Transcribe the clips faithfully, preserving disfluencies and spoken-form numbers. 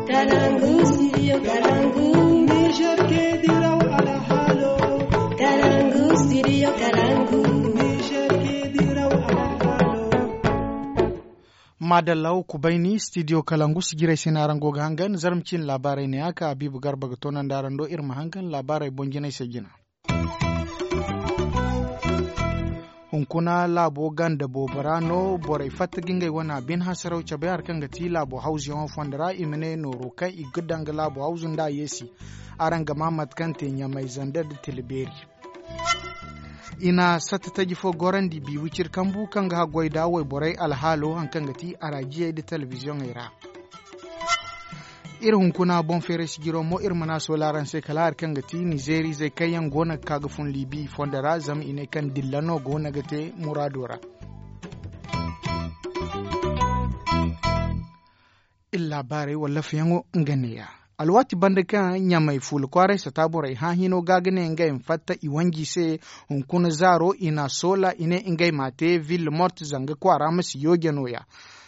Kalangu, studio Kalangu. Niger ke diraw alhalo. Kalangu, studio Kalangu. Niger ke diraw alhalo. Madalla wo kubayni studio Kalangu sijirey se no araŋ go ga hangan zarma ciine laabaarey ne a ka Habiibu Garba ga toonandi araŋ do iri ma hangan laabaarey boŋ jinay se jina. Hunkuna laabo ganda boobo ra no borey fatta ga ngey wane bine hasaraw cabe hari kaŋ ga ti laabo hawzuyaŋo fondo ra i ma ne nooro kaŋ i ga daŋ ga laabo hawzu nda a yeesi. Araŋ ga maa mate kaŋ te ɲamay zander nda tila beeri. I na satta taji fo gorandi bi wiciri kambu kaŋ ga haggoy nda wayborey alhaalo hari kaŋ ga ti araajiyey nda telebiziyoŋey ra. Iri hunkuna boŋ feeray sijiro mo iri mana soola araŋ se kala hari kaŋ ga ti nizeerizey kaŋ yaŋ go no ga ka ga fun liibi i fondo ra zama i ne kaŋ dilla no go no ga te muraado ra. Iri laabaarey wallafayaŋo nga neeya. Alwaati banda kaŋ ɲamay fuula kwaaray sata borey hã hino ga ga ne ngey ma fatta i wanji se. Hunkuna zaaro i na soola i ne ngey ma a te ville morte zanga kwaara ma si yooje nooya.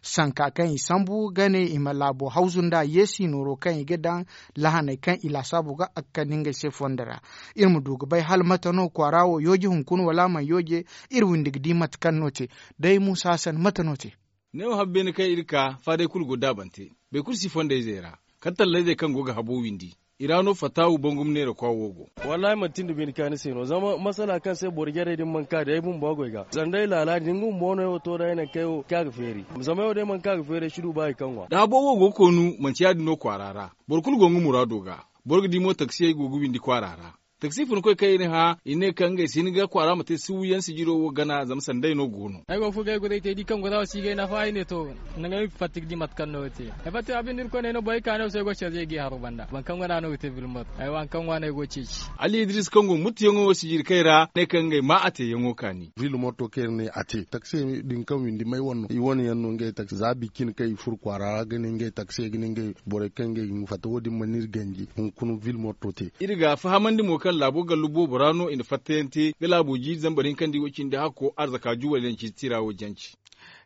Sanka kaŋ i sambu ga ne i ma laabo hawzu nda yeesi nooro kaŋ i ga daŋ lahaney kaŋ i laasaabu ga a ga kande ngey se fondo ra. Iri ma du ga bay hala mate no kwaara wo yooje hunkuna wala a mana yooje. Iri windi ga di mate kaŋ no te. Day muusa hasan mate no te? Neewo habbeene kaŋ iri ka faaday kulu go daabante. Boro kulu si fondayzey ra kala tallayzey kaŋ go ga habo windi. I ra no fataawu bangum neera kwa wo go. Wallaahi manti nda bine kaani se no zama masala kaŋ se boro jarey din mana ka day bumbo goy ga zama day laala din nga bumbo no yaŋ wo to da ay naŋ kaŋ ay wo ka ga feeri. Zama yaŋ wo day mana ka ga feeri ay si du ba hari kaŋ ŋwa da habo wo go ga koonu manti ya- din no kwaara ra. Boro kulu go nga muraado ga. Boro ga di mo taksiyey go ga windi kwaara ra. Taksi funkoy kaŋ i na hã i ne kaŋ ngey si hin ga kwaara ma te suuyaŋ sijiro wo gana zama sanday no go no. Ay go ga furo ga ay goday te di kaŋ goda wo si ga ay nafa ay ne to. Nangu ay ma fatta ga di mate kaŋ no ga te. Ay fatta abin da irkoy ne ay no borey kaani wo se ay go ga carjey ga i haro banda boro kaŋ gana no ga te vilmot ay wo hari kaŋ ŋwa no ay go ga ceeci. Ali idris kaŋ go muttuyaŋo wo sijiri kay ra ne kaŋ ngey ma a teeyaŋo kaani. Vilmot to kaŋ iri ne a te taksi din kaŋ windi may wane no i wane yaŋ no ngey taksi za bicin kaŋ i furo kwaara ra ga ne ngey taksi ga ne ngey borey kaŋ ngey ga fatta wo- din mana iri ganji hunkuna vilmot to te. Iri ga fahamandi mo kaŋ laabo gallu boobo ra no i na fattayaŋ te ga laabo jiiri zambar hinka nda i wo cindi hakko arzaka juwal yaŋ ciiti tira wo janci.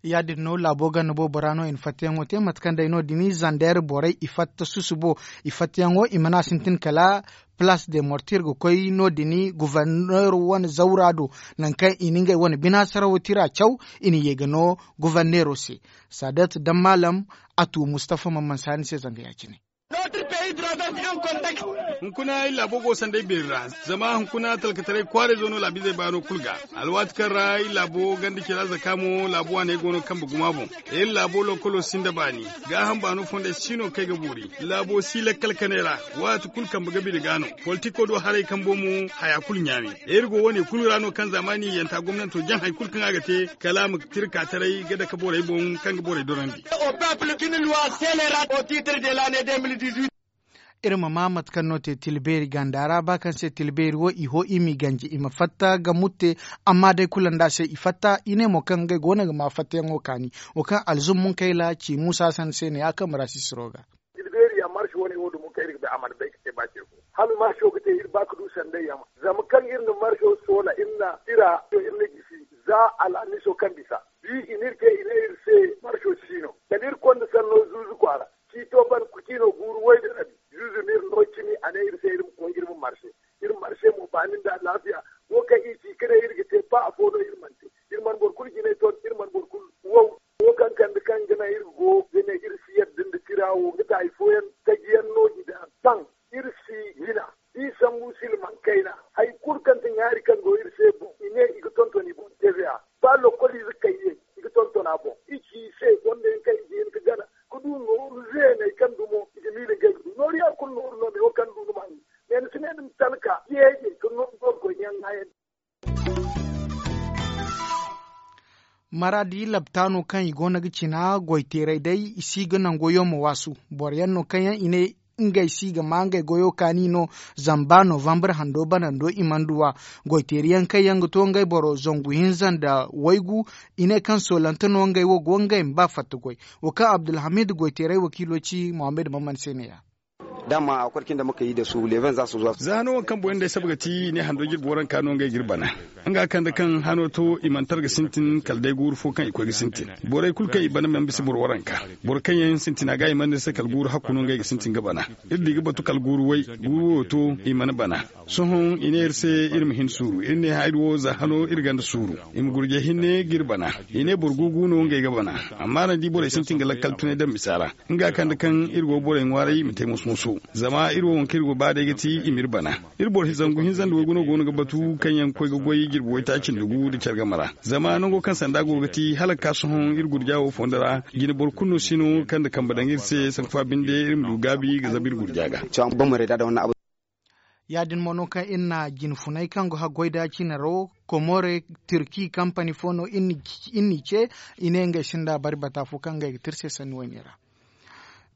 Ya- din no laabo ganda boobo ra no i na fattayaŋo te mate kaŋ day no- din zandeer borey i fatta susubo. I fattayaŋo i mana sintin kala palaas de mortir ga koy no- din guverneero wane zawra do. Nangu kaŋ i na ngey wane bina sarawo tira caw i na ye ga no guverneero se. Saadat daŋ maalam a tu mustafa mana mana saani se zanga ya- cine. Hunkuna iri laabo go sanday beeri ra. Zama hunkuna talkataray kwaarayzo no laabizey baano kulu ga. Alwaati kaŋ ra iri laabo ganda cira zaka mo laabo waaney go no kambe guma boŋ. Iri laabo lokolo sinda baani. Gaaham baano fondey si no kaŋ ay ga boori. Laabo si lakkal kanay ra. Waati kulu kambe ga bine ga no. Politiko do haray kambo mo haya kulu ɲaami. Iri go wane kulu ra no kaŋ zaamaani yanta gomnanto jaŋ hari kulu kaŋ a ga te kala a ma tirka taray ga dake borey boŋ kaŋ ga borey dorandi. Iri ma maa mate kaŋ no te tilbeeri ganda ra ba kaŋ se tilbeeri wo i ho i m'i ganji i ma fatta ga mutte. Amma day kulu nda se i fatta i ne mo kaŋ ngey go no ga maa fattayaŋo kaani. Wo kaŋ alzum munkayla ci muusa sanda se ne ya kaŋ marasisiro ga. Tilbeeri ya marsi wane wo dumo kaŋ iri ga bay a mana bay ga te ba ce fo. Hala marso ga te iri ba ga du sanday ya ma zama kaŋ iri na marso soola iri na tira iri na gisi za alhamiso kaŋ bisa. Bi i n'iri te i ne iri se marso si no kala iri konda sanno zuuzu kwaara. Ciito ban kuciino guuru way da rabi. Zuuzu n'iri no cimi a ne iri se iri ma koy iri ma marse. Iri marse mo baani nda alaafiya. Wo kaŋ iri ci ka ne iri ga te ba afo no iri mana te. Iri mana boro kulu jinay ton iri mana boro kulu wow. Wo kaŋ kande kaŋ ga naŋ iri go ga ne iri si yadda nda tira wo nga taay fooyaŋ taji yaŋ no i daŋ taŋ. Iri si hina. D'i sambu silmaŋ kayna hari kulu kaŋ ti ɲaari kaŋ go iri se boŋ i ne i ga tonton i boŋ tv a. Ba lokoliize kay ye i ga tonton a boŋ i ci i se gonda yaŋ kaŋ i ga hin ga gana ga du nooru zeeney kaŋ dumo i ga miila ngey ga du nooru yaŋ kulu nooru no meewo kaŋ du ni ma haŋ. Me ni si ne ni ma talka yeeje ga nooru goy ɲaŋ ŋaayandi. Maraadi labtaano kaŋ i go no ga cina goyteeray day i si ga nango yaŋ ma waasu. Boro yaŋ no kaŋ yaŋ i ne ngey si ga maa ngey goyo kaani no. Zama ba novambar hando banando i mana du a. Goyteeri yaŋ kaŋ yaŋ ga to ngey boro zangu hinza nda waygu i ne kaŋ soolante no ngey wo go ngey ma ba fatta goy. Wo kaŋ abdulhamid goyteeray wakiilo ci mohammed maman se ne ya. Za hano waŋ kaŋ boŋ yaŋ day saba ga ti i ne hando jirbi waranka no ngey ga iri bana. Nga kande kaŋ hano to i mana tara ga sintin kala day guuru fo kaŋ i koy ga sintin. Borey kulu kaŋ i bana mana bisa boro waranka. Boro kaŋ yaŋ sintina ga i mana iri se kala guuru hakku no ngey ga sintin ga bana. Iri di ga batu kala guuru way guuru wayo to i mana bana. Sohõ i ne iri se iri ma hin suuru iri ne ha iri wo za hano iri ganda suuru. I ma gurjay hinne ga iri bana. I ne boro gugu no ngey ga bana. Amma araŋ di borey sintin ga lakkal tunay daŋ misa ra. Nga kande kaŋ iri go borey ŋwaaray i ma te moso-moso. Zama iri wo waŋ kaŋ iri go ba day ga ti i ma iri bana. Iri boro zangu hinza nda waygu no go no ga batu kaŋ yaŋ ga koy ga goy jirbi waytaaci nda gu nda care game ra. Zama nango kaŋ sanda go ga ti hala ga ka sohõ iri gurja wo fondo ra. Jine boro kulu no si no kaŋ nda kambe daŋ iri se sanku fa binde iri ma du gaabi ga zabu iri gurja ga. Ya- din mo no kaŋ iri na jinfunay kaŋ go haggoy da cinaro komore, turki kampani fo no iri n'i ce. I ne ngey sinda bari bata fo kaŋ ngey ga te iri se sanni wayne ra.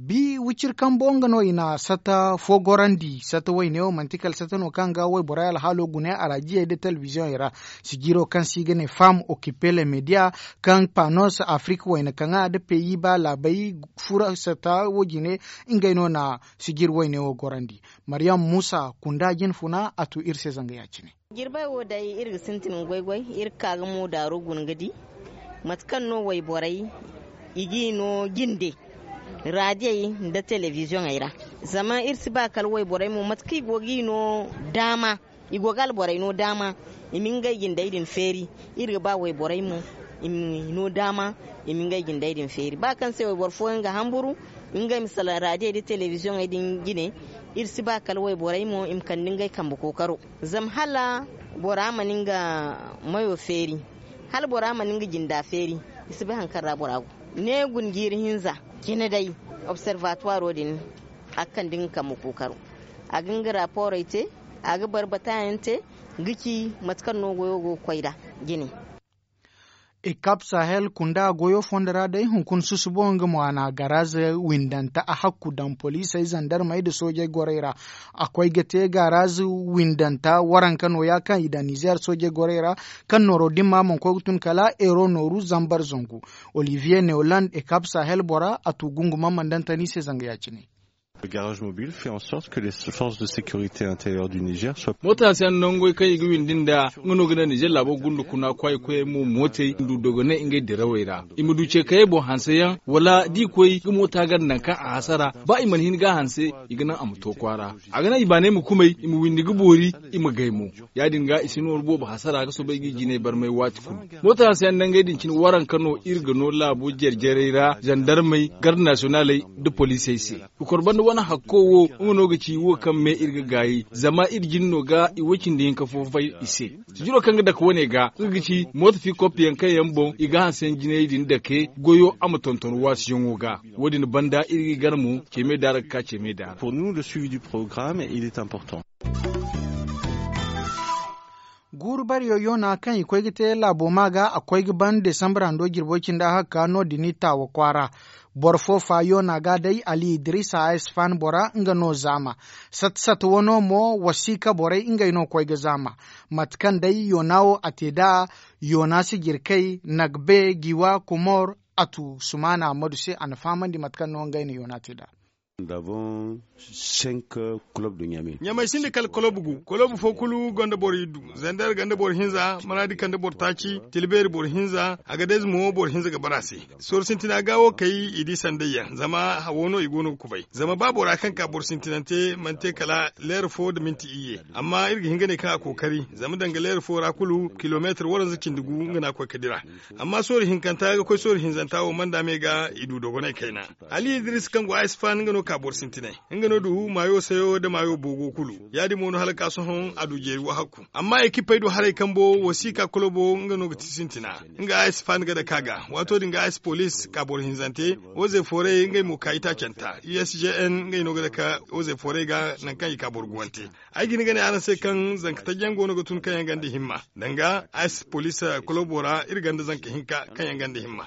Bi wiciri kambo nga no i na sata fo gorandi sata wayne wo manti kala sata no kaŋ ga wayborey alhaalo gune araajiyey nda telebiziyoŋey ra. Sijiro kaŋ se i ga ne femme occupé le media kaŋ panos afrik wayna kaŋa nda peyi ba laabey fura sata wo jine. Ngey no na sijiri wayne wo gorandi. Mariyam muusa kunda jinfuna a tu iri se zanga ya- cine. Jirbey wo day iri ga sintin ga goy-goy. Iri ga ka ga mo daaru guna ga di mate kaŋ no wayborey i g'i no jinde raadiyey nda telebiziyoŋey ra. Zama iri si ba kala wayborey mo mate kaŋ i go g'i no daama i go ga alborey no daama i ma ngey jindey din feeri. Iri ga ba wayborey mo i ma no daama i ma ngey jindey din feeri ba kaŋ se wayboro fooyaŋ ga hamburu ngey ma salaŋ raadiyey nda telebiziyoŋey din jine. Iri si ba kala wayborey mo i ma kande ngey kambe kookaro. Zama hala bora mana nga mayo feeri hala bora mana nga jinda feeri. I si bay hari kaŋ ra bora go ne guna jiiri hinza cine day observatoiro din a ga kande nga kambe kookaro. A ga nga raporey te a ga barbata yaŋ te ga ci mate kaŋ no goyo go ga koy nd'a jine. Ekap sahel kunda goyo fondo ra day hunkuna susubo nga mo a na garaz windanta a hakku daŋ poliisey zandarmey nda soojey gorey ra. A koy ga te garaz windanta waranka nooya kaŋ i daŋ nizeer soojey gorey ra kaŋ nooro dimma mana koy ga tun kala euro nooru zambar zangu. Olivier neoland ekap sahel bora a tu gunguma mana daŋ tani se zanga ya- cine. Garage mobile fait en sorte que les forces de sécurité intérieure du niger soient. Moota hanse yaŋ nangoy kaŋ i ga windi nd'a nga no ga naŋ nizer laabo gunda kuna kwaay koyey mo mootey ma du dogonay ngey dirawey ra. I ma du ce kayey boŋ hanse yaŋ wala da i koy ga moota ganda nangu kaŋ a hasara ba i mana hin ga a hanse i ga naŋ a ma to kwaara. A ga naŋ i baanay ma kumay i ma windi ga boori i ma gay mo. Ya- din ga i si nooru boobo hasara ga soobay ga i jinay barmay waati kulu. Moota hanse yaŋ nangey din cine waranka no iri ga no laabo jare-jarey ra zandarmey garde nasiyonaaley nda poliisey se. Ga kor banda wane hakko wo nga no ga ci wo kaŋ me iri ga gaayi zama iri jin no ga i way cindi hinka fo fay i se. Sijiro kaŋ ga dake wane ga nga ga ci mooto fi koppiyaŋ kaŋ yaŋ boŋ i ga hanse yaŋ jinay din dake goyo a ma tonton waasiyaŋo ga. Wo- din banda iri ga i gar mo ceeme daara ga ka ceeme daara. Guuru bariyo yoona kaŋ i koy ga te laabo maa ga a koy ga ban desambra ndo jirbo cinda hakka no- din i taawa kwaara. Boro fo fa yoona ga day ali idrisa a isfan bora nga no zaama. Sata sata wano mo wasiika borey ngey no koy ga zaama. Mate kaŋ day yoona wo a te nd'a yoona sijirkey nagbe giwa komor a tu sumaana ammadu se a na fahamandi mate kaŋ no ngey na yoona te nd'a. Ɲamay sinda kala kolob gu kolob fo kulu gonda boro iddu. Zandar ganda boro hinza maraadi kande boro taaci tilbeeri boro hinza a ga dayze mo boro hinza ga bara se. Soro sintina ga wo kay i di sanday yaŋ zama hawo no i go no ga kubay zama ba bora kaŋ ka boro sintinante mana te kala leera fo nda minti iyye. Amma iri ga hin ga ne kaŋ a kookari zama danga leera fo ra kulu kilomeetar waranza cindi gu nga no a koy ga dira. Amma soori hinkanta ga koy soori hinzanta wo manda me ga i du dogonay kayna. Ali idris kaŋ go a isfan nga no ka boro sintinay. Nga no du maayo sayo nda maayo boogo kulu. Ya- din mo no hala ga ka sohõ a du jeeri wahakku. Amma ekipey do haray kambo wasiika kolobo nga no ga ti sintina. Nga a isfan ga dake a ga waato din ga a ispolis ka boro hinzante. Oze foray ngey mo ka itaacanta usjn ngey no ga dake oze foray ga nangu kaŋ i ka boro guwante. Ay ga hin ga ne araŋ se kaŋ zanka taji yaŋ go no ga tun kaŋ yaŋ ganda himma danga a si poliisa kolobo ra iri ganda zanka hinka kaŋ yaŋ ganda himma.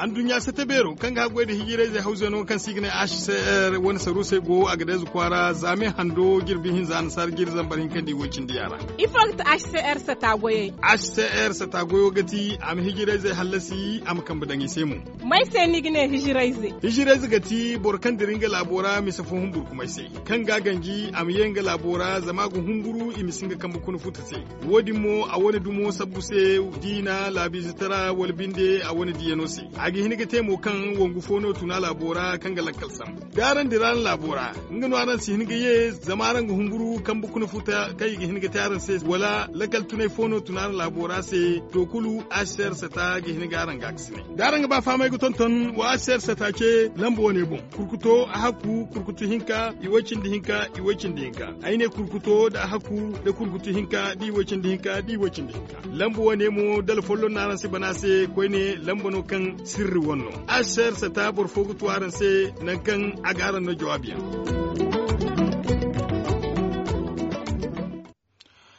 Anduɲɲa sata beero kaŋ ga haggoy nda hijirayzey hawzeno kaŋ se i ga ne h c r wane saruusey go a ga dayze kwaara zaame hando jirbi hinza annasaara jiri zambar hinka nda i woy cindi yaŋ ra. Ifo ga ti h c r sata goyey? H c r sata goyo ga ti a ma hijirayzey hallasi a ma kambe daŋ i se mo. May se ni ga ne hijirayze? Hijirayze ga ti boro kaŋ dira nga laabo ra mise fo humburkumay se, kaŋ ga a ganji a ma ye nga laabo ra zama a ga humburu i ma si nga kambe kuna futa se. Wo- din mo a wane dumo sabbu se, diina laabiizatara wala binde a wane diyano se. A ga hin ga te mo kaŋ wangu fo no tun a laabo ra kaŋ ga lakkal sambu da araŋ dira araŋ laabo ra, nga no araŋ si hin ga ye zama araŋ ga humburu kambe kuna futa kaŋ i ga hin ga te araŋ se wala lakkal tunay fo no tun araŋ laabo ra se. To kulu h c r sata ga hin ga araŋ gaakasinay da araŋ ga ba fahamay ga tonton wa h c r sata ce lamba wane boŋ. Kurkuto a hakku kurkutu hinka i way cindi hinka i way cindi hinka. Ay ne kurkuto nda a hakku nda kurkutu hinka da i way cindi hinka da i way cindi hinka. Lamba wane mo dala folloŋ no araŋ si bana se koyne lamba no kaŋ sirri wane no. H c r sata boro fo ga tu araŋ se nangu kaŋ a ga araŋ no jawaabi yaŋ.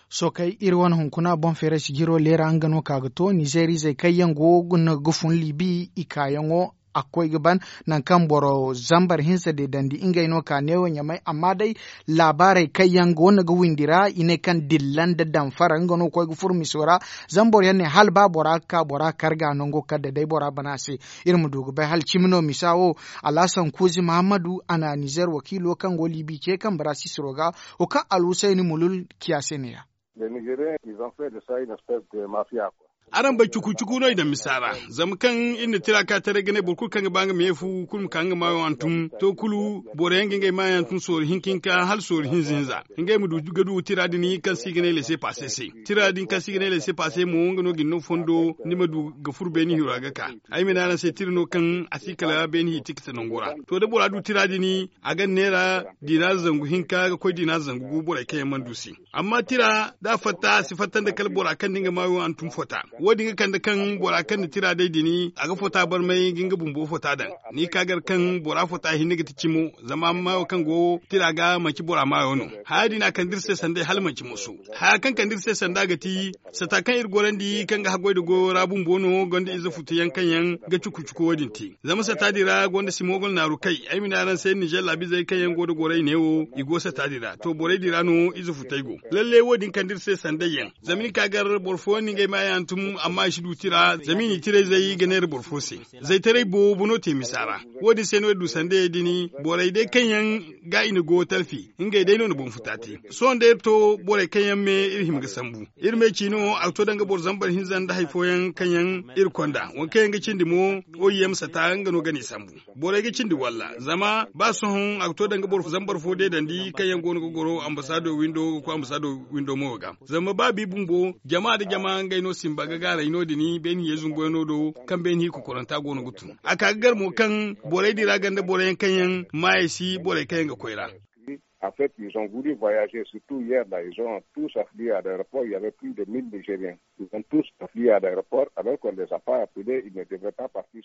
Sookay iri wane hunkuna boŋ feeray sijiro leera nga no ka ga to nizeer izey kaŋ yaŋ go ga fun libi i kaayaŋo a ga koy ga ban. Nangu kaŋ boro zambar hinza deedandi ngey no ka neewo ɲamay amma day laabaarey kaŋ yaŋ go no ga windi ra i ne kaŋ dilla nda damfara nga no ga koy ga furo miso ra. Zama boro yaŋ ne hala ba bora ga ka bora karga nango kala da day bora bana se. Iri ma du ga bay hala cimi no misa wo. Alhasan kuuzi muhammadu a na nizeer wakiilo kaŋ go libi ce kambe ra sisiro ga wo kaŋ alhusayni mulul ciya se ne- ya. Araŋ bay cuku cuku no i daŋ misa ra. Zama kaŋ iri na tira ka taray ga ne boro kulu kaŋ ga ba nga ma ye fu kulu ma ka nga maayo hantum to kulu boro yaŋ ga ngey maayo hantum soori hinka hinka hala soori hinza hinza. Ngey ma du ga du tira din kaŋ se i ga ne lese paase se. Tira din kaŋ se i ga ne lese paase mo nga no ga ni no fondo ni ma du ga furo beeni hiro ra ga ka. Ay ma ne araŋ se tira no kaŋ a si kala beeni hi tikita nango ra. To da bora du tira din a ga ni neera diinaari zangu hinka ga koy diinaari zangu gu borey kaŋ yaŋ mana du se. Amma tira da a fatta a si fatta nda kala bora kaŋ da nga maayo hantum fota. Wo- din ga kande kaŋ bora kaŋ na tira day din a ga fota barmay ga nga bumbo fota daŋ. Ni ka gar kaŋ bora fota hinne ga ti cimo. Zama maayo kaŋ go tira ga manci bora maayo no. Haya din a kande iri se sanday hala manci moso. Haya kaŋ kande iri se sanda ga ti sata kaŋ iri gorandi kaŋ ga haggoy nda goyo ra bumbo no gonda ize futu yaŋ kaŋ yaŋ ga cuku cuku wo- din te. Zama sata din ra gonda simogol naaru kay ay ma ne araŋ se nizer laabizey kaŋ yaŋ go nda gorey neewo i go sata din ra to borey din ra no ize futey go. Lalle wo- din kande iri se sanday yaŋ. Zama ni ka gar boro fooyaŋ na ngey maayo hantum amma i si du tira zama i na i tirayzey ga neera boro fo se. Zaytaray boobo no te misa ra. Wo- din se no iri du sandayey din borey day kaŋ yaŋ ga i na go talfi ngey day no na boŋ futa te. Sohõ day iri to borey kaŋ yaŋ me iri hima ga sambu. Iri me ci no a ga to danga boro zambar hinza nda hari fooyaŋ kaŋ yaŋ iri konda waŋ kaŋ yaŋ ga cindi mo. Oy yaŋ ma sata nga no ga ni sambu. Borey ga cindi walla zama ba sohõ a ga to danga boro zambar fo deedandi kaŋ yaŋ go no ga goro ambasaado windo ga koy ambasaado windo mo ga zama ba bi bumbo jama nda jama ngey no simba ga gaaray no- din beeni yeezumboyaŋo do. Kaŋ beeni hi kokoranta go no ga tun a ka ga gar mo kaŋ borey din ra ganda boro yaŋ kaŋ yaŋ maayey si borey kaŋ yaŋ ga koy ra. En fait ils ont voulu voyager surtout hier là ils ont tous affluer à l'aéroport il y avait plus de mille nigériens. Ils ont tous affluer à l'aéroport alors qu'on les a pas appelés ils ne devraient pas partir.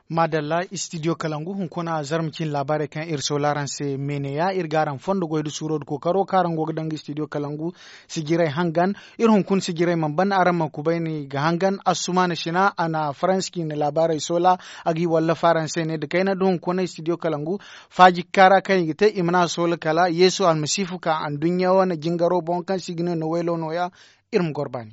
Madalla studio kalangu hunkuna zarma cin laabaarey kaŋ iri soola araŋ se meeneya iri ga araŋ fondo goy nda suuro nda kookaro kaŋ araŋ go ga daŋ ga studio kalangu. Sijiray hangan iri hunkuna sijiray mana ban araŋ ma kubayni ga hangan assumaana sina a na faransi ciine laabaarey soola. A g'i wallafa araŋ se ne nda kayna nda hunkuna studio kalangu faaji kaara kaŋ i ga te i mana a soola kala yeesu almasiifu ka anduɲɲa wane jingaro boŋ kaŋ se i ga ne no waylo nooya. Iri ma goro baani.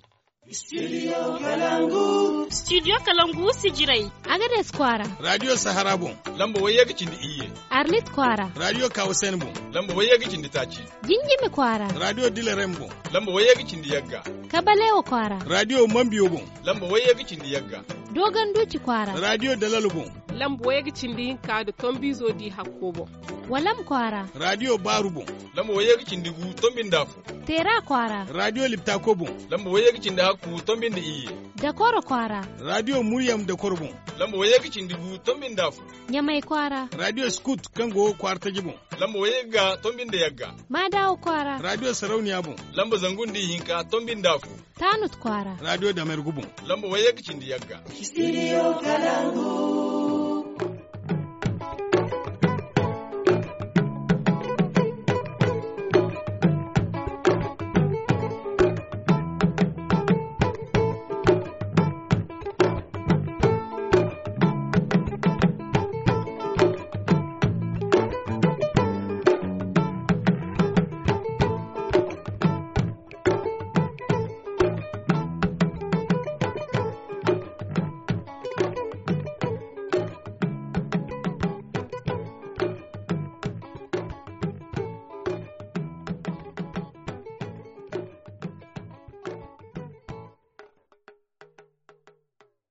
Studio kalangu sijiray. Agades kwaara. Radiyo sahara boŋ. Lamba wayye ga cindi iyye. Arlit kwaara. Radiyo kawusayni boŋ. Lamba wayye ga cindi taaci. Jinjimi kwaara. Radiyo dilarem boŋ. Lamba wayye ga cindi yagga. Kabalewa kwaara. Radiyo mambiyo boŋ. Lamba wayye ga cindi yagga. Dogon duuci kwaara. Radiyo dalalo boŋ. Lamba wayye ga cindi hinka nda tombiizo di hakko boŋ. Walam kwaara. Radiyo baaru boŋ. Lamba wayye ga cindi gu tombi nda afo. Teera kwaara. Radiyo liptako boŋ. Lamba wayye ga cindi hakku tombi nda iyye. Dakoro kwaara. Radiyo muryam dakoro boŋ. Lamba wayye ga cindi gu tombi nda afo. Ɲamay kwaara. Radiyo skut kaŋ go kwaara taji boŋ. Lamba wayye ga tombi nda yagga. Maadawa kwaara. Radiyo sarauniya boŋ. Lamba zangu nda ihinka tombi nda afo. Taanut kwaara. Radiyo damergu boŋ. Lamba wayye ga cindi yagga. Studio kalangu.